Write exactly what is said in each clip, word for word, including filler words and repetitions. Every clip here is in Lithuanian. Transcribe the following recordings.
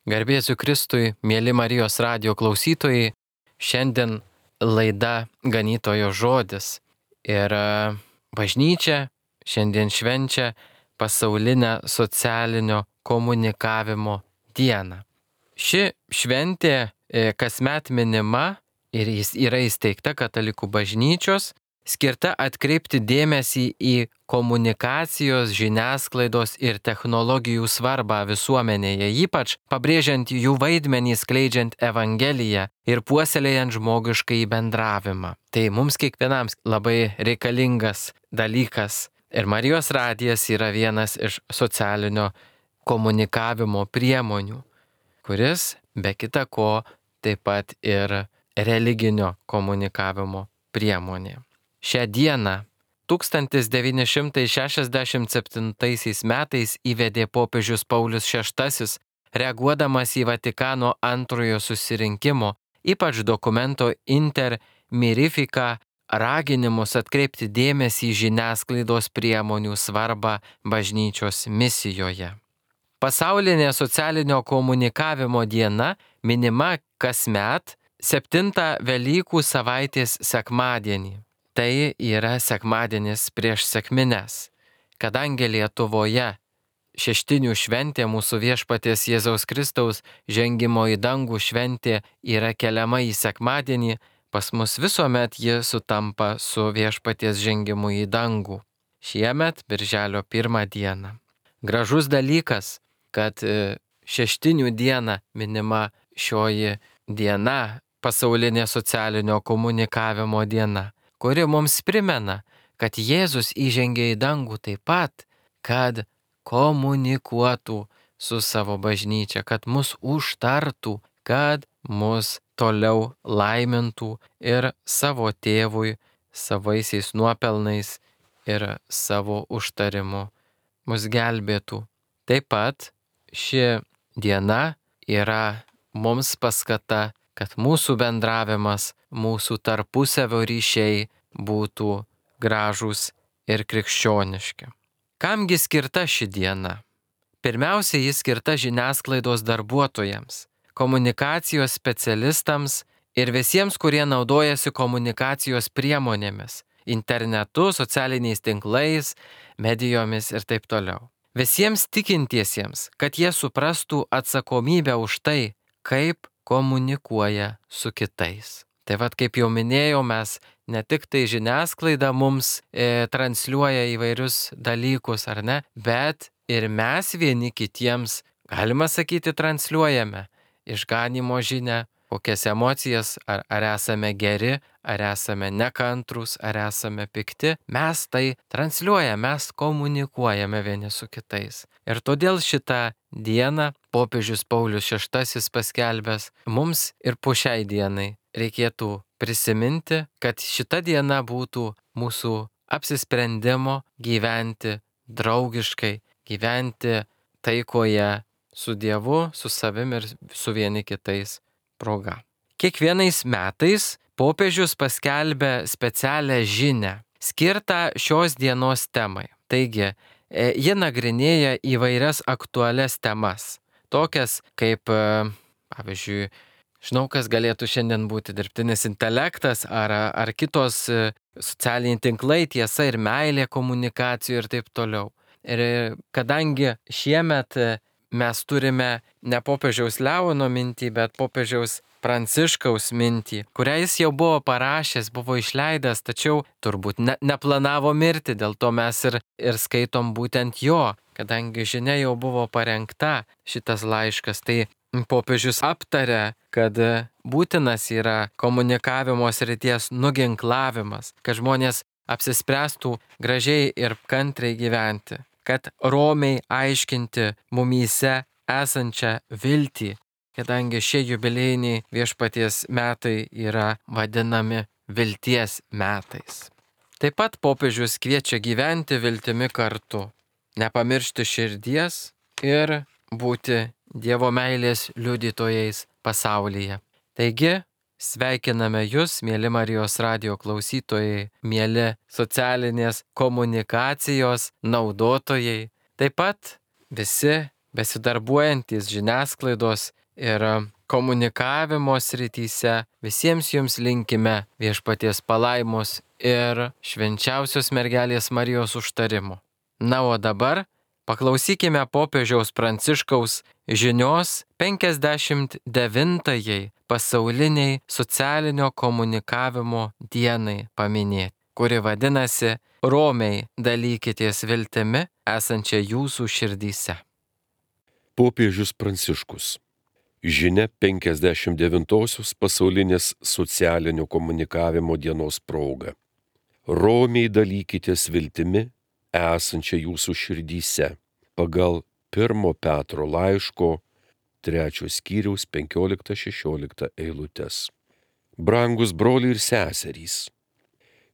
Garbė Jėzui Kristui, mėly Marijos radijo klausytojai, šiandien laida Ganytojo žodis. Ir bažnyčia šiandien švenčia pasaulinę socialinio komunikavimo dieną. Ši šventė kasmet minima ir jis yra įsteigta Katalikų bažnyčios, skirta atkreipti dėmesį į komunikacijos, žiniasklaidos ir technologijų svarbą visuomenėje, ypač pabrėžiant jų vaidmenį skleidžiant Evangeliją ir puoselėjant žmogiškąjį bendravimą. Tai mums kiekvienam labai reikalingas dalykas. Ir Marijos radijas yra vienas iš socialinio komunikavimo priemonių, kuris be kita ko taip pat ir religinio komunikavimo priemonė. Šią dieną tūkstantis devyni šimtai šešiasdešimt septintaisiais metais įvedė popiežius Paulius šeštasis, reaguodamas į Vatikano antrojo susirinkimo, ypač dokumento Inter Mirifica raginimus atkreipti dėmesį į žiniasklaidos priemonių svarbą bažnyčios misijoje. Pasaulinė socialinio komunikavimo diena minima kasmet septintą Velykų savaitės sekmadienį. Tai yra sekmadienis prieš sekmines, kadangi Lietuvoje šeštinių šventė, mūsų viešpaties Jėzaus Kristaus žengimo į dangų šventė yra keliama į sekmadienį, pas mus visuomet ji sutampa su viešpaties žengimu į dangų. Šiemet birželio pirmą dieną. Gražus dalykas, kad šeštinių dieną minima šioji diena, pasaulinė socialinio komunikavimo diena, kuri mums primena, kad Jėzus įžengė į dangų taip pat, kad komunikuotų su savo bažnyčia, kad mus užtartų, kad mus toliau laimintų ir savo tėvui, savaisiais nuopelnais ir savo užtarimu mus gelbėtų. Taip pat ši diena yra mums paskata, kad mūsų bendravimas, mūsų tarpusavio ryšiai būtų gražūs ir krikščioniški. Kamgi skirta ši diena? Pirmiausia, ji skirta žiniasklaidos darbuotojams, komunikacijos specialistams ir visiems, kurie naudojasi komunikacijos priemonėmis, internetu, socialiniais tinklais, medijomis ir taip toliau. Visiems tikintiesiems, kad jie suprastų atsakomybę už tai, kaip komunikuoja su kitais. Tai vad, kaip jau minėjau, mes ne tik tai žiniasklaida mums e, transliuoja įvairius dalykus, ar ne, bet ir mes vieni kitiems, galima sakyti, transliuojame išganimo žinią, kokias emocijas, ar, ar esame geri, ar esame nekantrus, ar esame pikti, mes tai transliuojame, mes komunikuojame vieni su kitais. Ir todėl šitą dieną popiežius Paulius šeštasis paskelbęs mums ir po šiai dienai reikėtų prisiminti, kad šita diena būtų mūsų apsisprendimo gyventi draugiškai, gyventi taikoje su Dievu, su savim ir su vieni kitais proga. Kiekvienais metais popiežius paskelbė specialią žinią, skirtą šios dienos temai. Taigi, ji nagrinėja įvairias aktualias temas, tokias kaip, pavyzdžiui, žinau, kas galėtų šiandien būti dirbtinis intelektas ar, ar kitos socialiniai tinklai, tiesa ir meilė komunikacijų ir taip toliau. Ir kadangi šiemet mes turime ne popiežiaus Leono mintį, bet popiežiaus Pranciškaus mintį, kurią jis jau buvo parašęs, buvo išleidęs, tačiau turbūt ne, neplanavo mirti, dėl to mes ir, ir skaitom būtent jo, kadangi žinia jau buvo parengta šitas laiškas, tai popiežius aptarė, kad būtinas yra komunikavimo srities nuginklavimas, kad žmonės apsispręstų gražiai ir kantriai gyventi, kad romiai aiškinti mumyse esančią viltį, kadangi šie jubiliejiniai viešpaties metai yra vadinami vilties metais. Taip pat popiežius kviečia gyventi viltimi kartu, nepamiršti širdies ir būti Dievo meilės liudytojais pasaulyje. Taigi, sveikiname Jūs, mėly Marijos radijo klausytojai, mėly socialinės komunikacijos naudotojai, taip pat visi besidarbuojantys žiniasklaidos ir komunikavimo srityse, visiems jums linkime viešpaties palaimos ir švenčiausios mergelės Marijos užtarimo. Na, o dabar paklausykime popiežiaus Pranciškaus žinios penkiasdešimt devintajai pasauliniai socialinio komunikavimo dienai paminėti, kuri vadinasi Romiai dalykitės viltimi esančia jūsų širdyse. Popiežius Pranciškus. Žinia penkiasdešimt devintosios pasaulinės socialinio komunikavimo dienos proga. Romiai dalykitės viltimi esančia jūsų širdyse pagal pirmo Petro laiško trečios skyriaus penkiolikta šešiolikta eilutes. Brangus broliai ir seserys,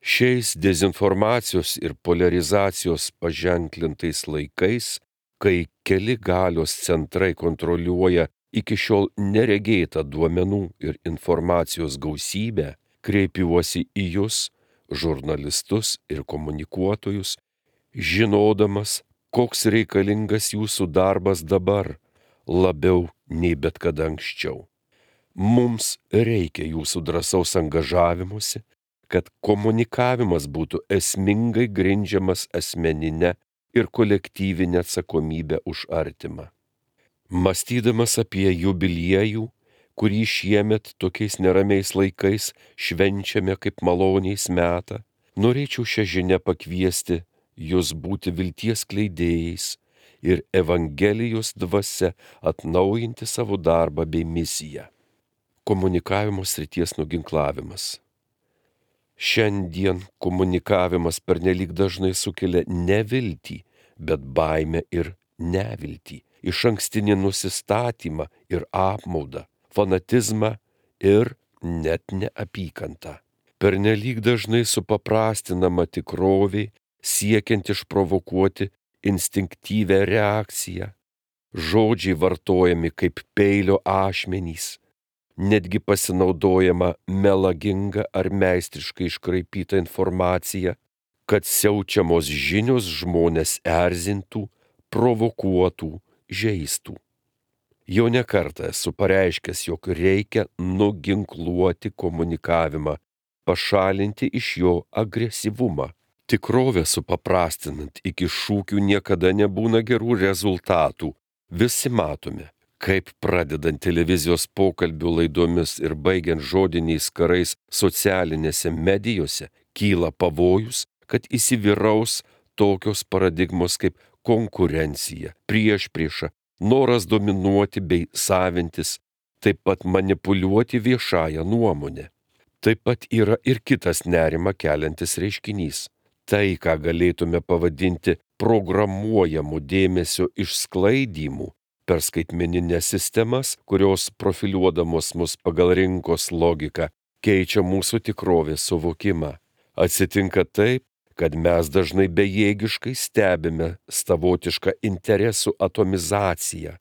šiais dezinformacijos ir polarizacijos paženklintais laikais, kai keli galios centrai kontroliuoja iki šiol neregėtą duomenų ir informacijos gausybę, kreipiuosi į jūs, žurnalistus ir komunikuotojus, žinodamas, koks reikalingas jūsų darbas dabar, labiau nei bet kada anksčiau. Mums reikia jūsų drąsaus angažavimuose, kad komunikavimas būtų esmingai grindžiamas asmeninę ir kolektyvinę atsakomybę už artimą. Mąstydamas apie jubiliejų, kurį šiemet tokiais neramiais laikais švenčiame kaip maloniais metą, norėčiau šią žinią pakviesti jūs būti vilties kleidėjais ir Evangelijos dvasia atnaujinti savo darbą bei misiją. Komunikavimo srities nuginklavimas. Šiandien komunikavimas pernelyg dažnai sukelia ne viltį, bet baimę ir neviltį, išankstinį nusistatymą ir apmaudą, fanatizmą ir net neapykantą. Pernelyg dažnai supaprastinama tikrovė, siekiant išprovokuoti instinktyvę reakciją. Žodžiai vartojami kaip peilio ašmenys, netgi pasinaudojama melaginga ar meistriškai iškraipyta informacija, kad siaučiamos žinios žmonės erzintų, provokuotų, žeistų. Jau ne kartą esu pareiškęs, jog reikia nuginkluoti komunikavimą, pašalinti iš jo agresyvumą. Tikrovę supaprastinant iki šūkių niekada nebūna gerų rezultatų. Visi matome, kaip pradedant televizijos pokalbių laidomis ir baigiant žodiniais karais socialinėse medijose, kyla pavojus, kad įsivyraus tokios paradigmos kaip konkurencija, priešprieša, noras dominuoti bei savintis, taip pat manipuliuoti viešąją nuomonę. Taip pat yra ir kitas nerimą keliantis reiškinys. Tai, ką galėtume pavadinti programuojamų dėmesio išsklaidymu per skaitmeninės sistemas, kurios profiliuodamos mus pagal rinkos logiką keičia mūsų tikrovės suvokimą. Atsitinka taip, kad mes dažnai bejėgiškai stebime savotišką interesų atomizaciją,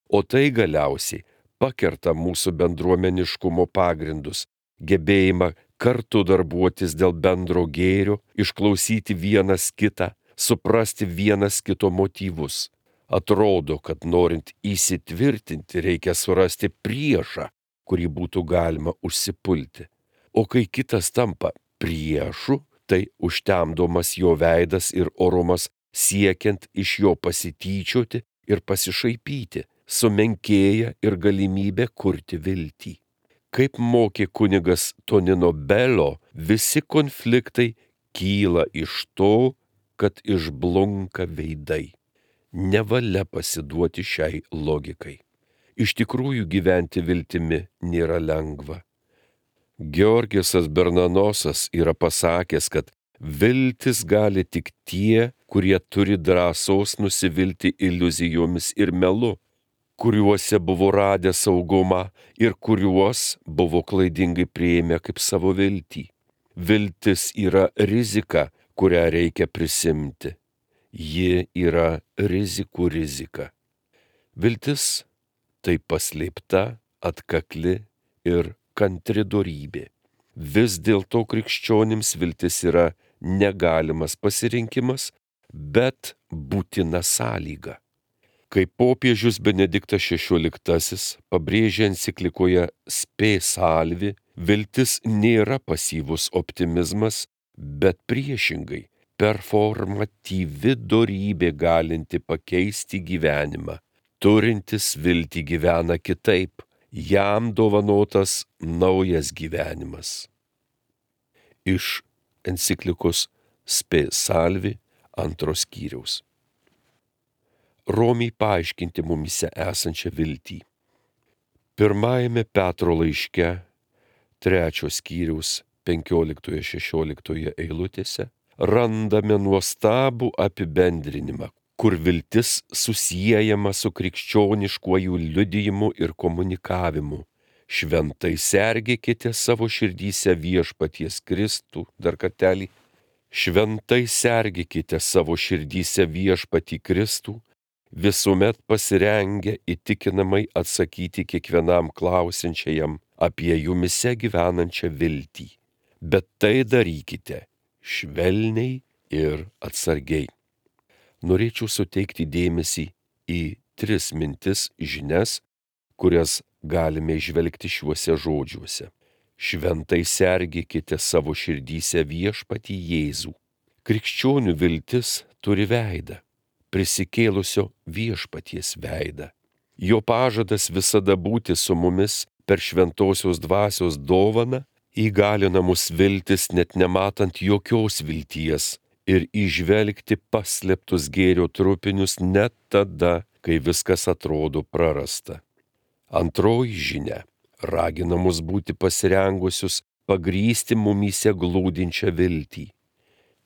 o tai galiausiai pakerta mūsų bendruomeniškumo pagrindus, gebėjimą kartu darbuotis dėl bendro gėrio, išklausyti vienas kitą, suprasti vienas kito motyvus. Atrodo, kad norint įsitvirtinti, reikia surasti priešą, kurį būtų galima užsipulti. O kai kitas tampa priešu, tai užtemdomas jo veidas ir orumas siekiant iš jo pasityčioti ir pasišaipyti, sumenkėja ir galimybė kurti viltį. Kaip mokė kunigas Tonino Bello, visi konfliktai kyla iš to, kad išblunka veidai. Nevalia pasiduoti šiai logikai. Iš tikrųjų gyventi viltimi nėra lengva. Georgesas Bernanosas yra pasakęs, kad viltis gali tik tie, kurie turi drąsos nusivilti iliuzijomis ir melu, kuriuose buvo radę saugumą ir kuriuos buvo klaidingai priėmę kaip savo viltį. Viltis yra rizika, kurią reikia prisimti. Ji yra rizikų rizika. Viltis tai paslėpta, atkakli ir kantri dorybė. Vis dėlto krikščionims viltis yra negalimas pasirinkimas, bet būtina sąlyga. Kaip popiežius Benediktas šešioliktasis pabrėžė enciklikoje Spe Salvi, viltis nėra pasyvus optimizmas, bet priešingai performatyvi dorybė galinti pakeisti gyvenimą. Turintis viltį gyvena kitaip, jam dovanotas naujas gyvenimas. Iš enciklikos Spe Salvi antros skyriaus. Romiai paaiškinti mumyse esančią viltį. Pirmajame Petro laiške, trečios skyriaus penkioliktoje šešioliktoje eilutėse, randame nuostabų apibendrinimą, kur viltis susiejama su krikščioniškuoju liudijimu ir komunikavimu. Šventai sergėkite savo širdyse viešpaties Kristų, dar kartelį, šventai sergėkite savo širdyse viešpatį Kristų, visuomet pasirengę įtikinamai atsakyti kiekvienam klausiančiajam apie jumise gyvenančią viltį. Bet tai darykite švelniai ir atsargiai. Norėčiau suteikti dėmesį į tris mintis žinias, kurias galime įžvelgti šiuose žodžiuose. Šventai sergėkite savo širdyse viešpatį Jėzų. Krikščionių viltis turi veidą, prisikėlusio viešpaties veidą. Jo pažadas visada būti su mumis per šventosios dvasios dovaną įgalina mus viltis net nematant jokios vilties ir įžvelgti paslėptus gėrio trupinius net tada, kai viskas atrodo prarasta. Antroji žinia ragina mus būti pasirengusius pagrįsti mumyse glūdinčią viltį.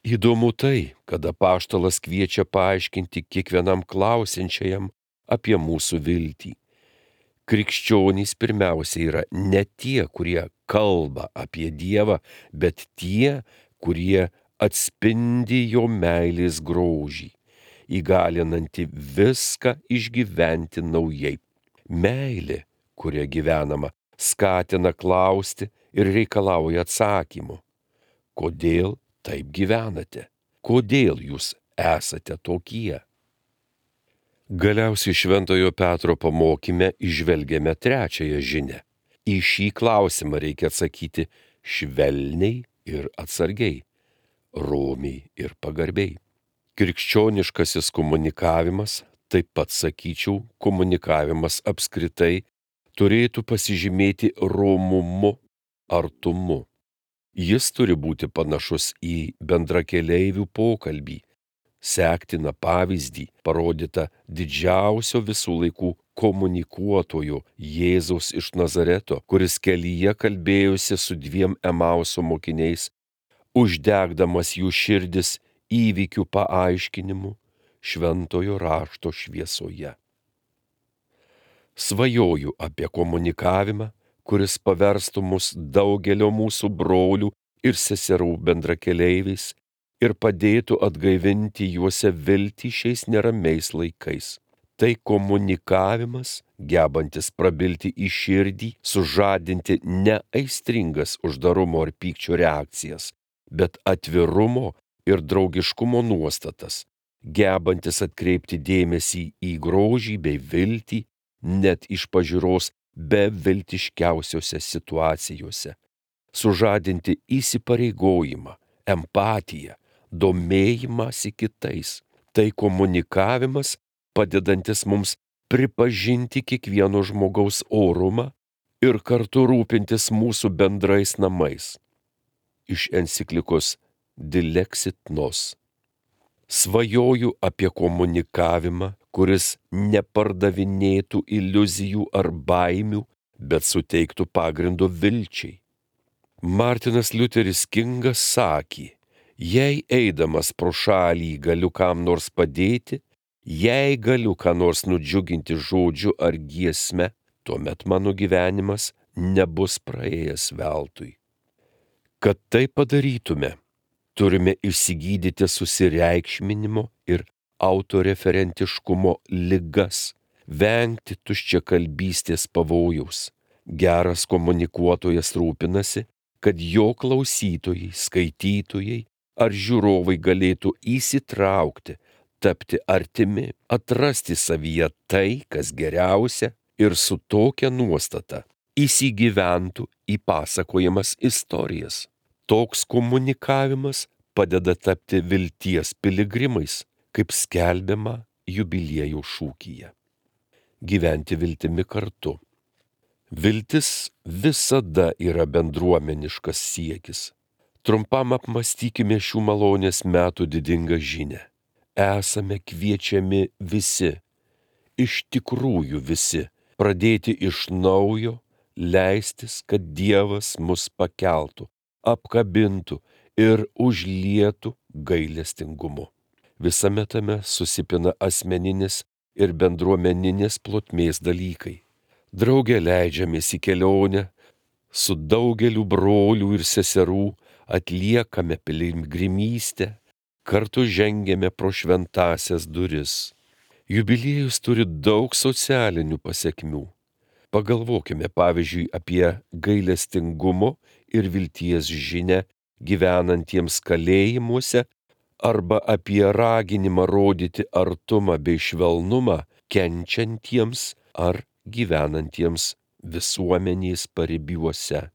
Įdomu tai, kad apaštalas kviečia paaiškinti kiekvienam klausiančiajam apie mūsų viltį. Krikščionys pirmiausia yra ne tie, kurie kalba apie Dievą, bet tie, kurie atspindi jo meilės grožį, įgalinantį viską išgyventi naujai. Meilė, kuria gyvenama, skatina klausti ir reikalauja atsakymų. Kodėl taip gyvenate? Kodėl jūs esate tokie? Galiausiai Šventojo Petro pamokyme įžvelgiame trečiąją žinią. Į šį klausimą reikia atsakyti švelniai ir atsargiai, romiai ir pagarbiai. Krikščioniškasis komunikavimas, taip pat sakyčiau, komunikavimas apskritai, turėtų pasižymėti romumu, artumu. Jis turi būti panašus į bendrakeleivių pokalbį, sektiną pavyzdį, parodytą didžiausio visų laikų komunikuotojo Jėzaus iš Nazareto, kuris kelyje kalbėjosi su dviem Emauso mokiniais, uždegdamas jų širdis įvykių paaiškinimu šventojo rašto šviesoje. Svajoju apie komunikavimą, kuris paverstų mus daugelio mūsų brolių ir seserų bendrakeleiviais ir padėtų atgaivinti juose viltį šiais neramiais laikais. Tai komunikavimas, gebantis prabilti į širdį, sužadinti ne aistringas uždarumo ar pykčio reakcijas, bet atvirumo ir draugiškumo nuostatas, gebantis atkreipti dėmesį į grožį bei viltį, net iš pažiūros beviltiškiausiose situacijose, sužadinti įsipareigojimą, empatiją, domėjimąsi kitais. Tai komunikavimas, padedantis mums pripažinti kiekvieno žmogaus orumą ir kartu rūpintis mūsų bendrais namais. Iš enciklikos Dilexit Nos. Svajoju apie komunikavimą, kuris nepardavinėtų iliuzijų ar baimių, bet suteiktų pagrindo vilčiai. Martinas Liuteris Kingas sakė, jei eidamas pro šalį galiu kam nors padėti, jei galiu ką nors nudžiuginti žodžiu ar giesme, tuomet mano gyvenimas nebus praėjęs veltui. Kad tai padarytume, turime išsigydyti susireikšminimo ir autoreferentiškumo ligas, vengti tuščiakalbystės pavojaus. Geras komunikuotojas rūpinasi, kad jo klausytojai, skaitytojai ar žiūrovai galėtų įsitraukti, tapti artimi, atrasti savyje tai, kas geriausia ir su tokia nuostata įsigyventų į pasakojamas istorijas. Toks komunikavimas padeda tapti vilties piligrimais, kaip skelbiama jubiliejų šūkyje. Gyventi viltimi kartu. Viltis visada yra bendruomeniškas siekis. Trumpam apmąstykime šių malonės metų didingą žinią. Esame kviečiami visi, iš tikrųjų visi, pradėti iš naujo, leistis, kad Dievas mus pakeltų, apkabintų ir užlietų gailestingumu. Visame tame susipina asmeninis ir bendruomeninės plotmės dalykai. Drauge leidžiamės į kelionę, su daugeliu brolių ir seserų atliekame piligrimystę, kartu žengiame pro šventąsias duris. Jubiliejus turi daug socialinių pasekmių. Pagalvokime pavyzdžiui apie gailestingumo ir vilties žinią gyvenantiems kalėjimuose arba apie raginimą rodyti artumą bei švelnumą kenčiantiems ar gyvenantiems visuomenės paribiuose.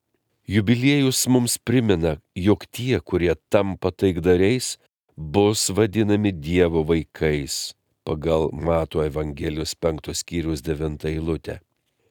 Jubiliejus mums primena, jog tie, kurie tampa taikdariais, bus vadinami Dievo vaikais, pagal Mato Evangelijos penktos skyriaus devintą eilutę.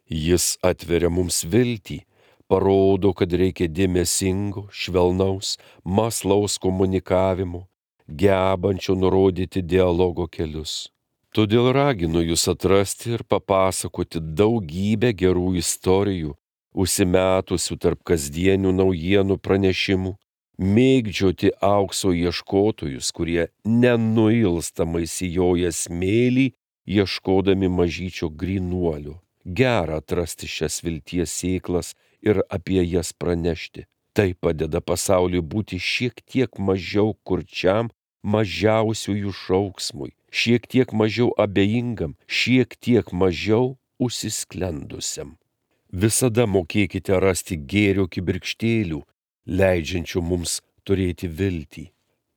Jis atveria mums viltį, parodo, kad reikia dėmesingo, švelnaus, mąslaus komunikavimo, gebančio nurodyti dialogo kelius. Todėl raginu jūs atrasti ir papasakoti daugybę gerų istorijų, užsimetusių tarp kasdienių naujienų pranešimų, mėgdžioti aukso ieškotojus, kurie nenuilstamai sijoja smėlį, ieškodami mažyčio grynuolio. Gera atrasti šias vilties sėklas ir apie jas pranešti. Tai padeda pasauliui būti šiek tiek mažiau kurčiam mažiausiųjų šauksmui, šiek tiek mažiau abejingam, šiek tiek mažiau užsisklendusiam. Visada mokėkite rasti gėrio kibirkštėlių, leidžiančių mums turėti viltį.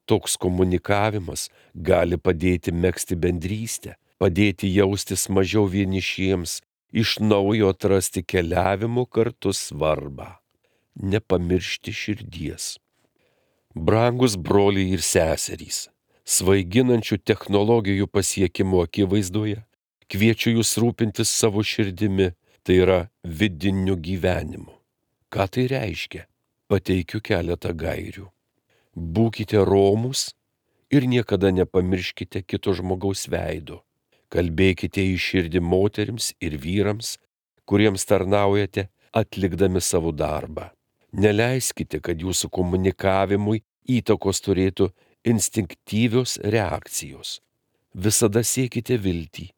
Toks komunikavimas gali padėti megzti bendrystę, padėti jaustis mažiau vienišiems, iš naujo atrasti keliavimo kartu svarbą. Nepamiršti širdies. Brangus broliai ir seserys, svaiginančių technologijų pasiekimo akivaizdoje, kviečiu jūs rūpintis savo širdimi, tai yra vidiniu gyvenimu. Ką tai reiškia? Pateikiu keletą gairių. Būkite romūs ir niekada nepamirškite kito žmogaus veido. Kalbėkite į širdį moterims ir vyrams, kuriems tarnaujate, atlikdami savo darbą. Neleiskite, kad jūsų komunikavimui įtakos turėtų instinktyvios reakcijos. Visada siekite viltį,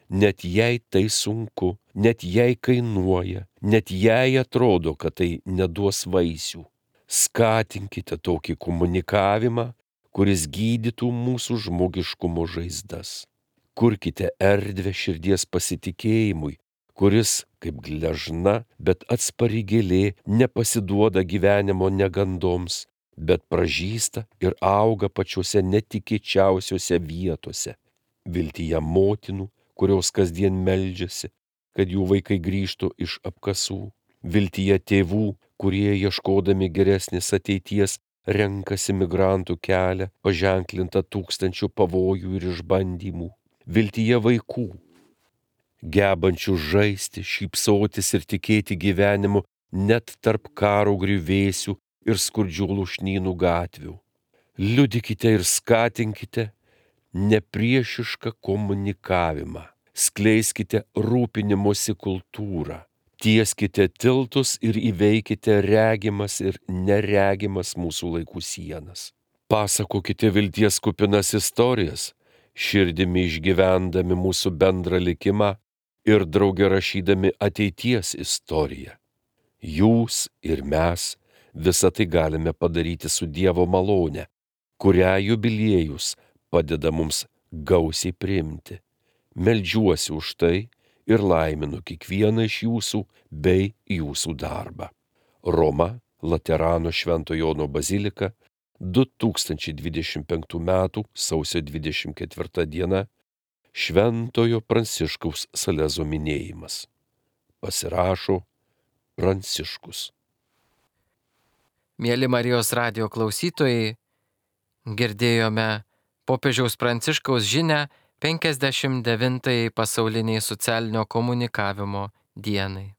net jei tai sunku, net jei kainuoja, net jei atrodo, kad tai neduos vaisių. Skatinkite tokį komunikavimą, kuris gydytų mūsų žmogiškumo žaizdas. Kurkite erdvę širdies pasitikėjimui, kuris, kaip gležna, bet atspari gėlė, nepasiduoda gyvenimo negandoms, bet pražysta ir auga pačiuose netikėčiausiuose vietose. Viltyje motinų, kurios kasdien meldžiasi, kad jų vaikai grįžtų iš apkasų. Viltyje tėvų, kurie ieškodami geresnės ateities renkasi migrantų kelią, paženklintą tūkstančių pavojų ir išbandymų. Viltyje vaikų, gebančių žaisti, šypsotis ir tikėti gyvenimu net tarp karo griuvėsių ir skurdžių lūšnynų gatvių. Liudykite ir skatinkite nepriešišką komunikavimą. Skleiskite rūpinimosi kultūrą. Tieskite tiltus ir įveikite regimas ir neregimas mūsų laikų sienas. Pasakokite vilties kupinas istorijas, širdimi išgyvendami mūsų bendrą likimą ir drauge rašydami ateities istoriją. Jūs ir mes visą tai galime padaryti su Dievo malone, kurią jubiliejus padeda mums gausiai priimti. Meldžiuosi už tai ir laiminu kiekvieną iš jūsų bei jūsų darbą. Roma, Laterano Švento Jono bazilika, du tūkstančiai dvidešimt penktų metų sausio dvidešimt ketvirta diena Šventojo Pranciškaus Salezo minėjimas. Pasirašo Pranciškus. Mėly Marijos radijo klausytojai, girdėjome popiežiaus Pranciškaus žinią penkiasdešimt devintajai pasauliniai socialinio komunikavimo dienai.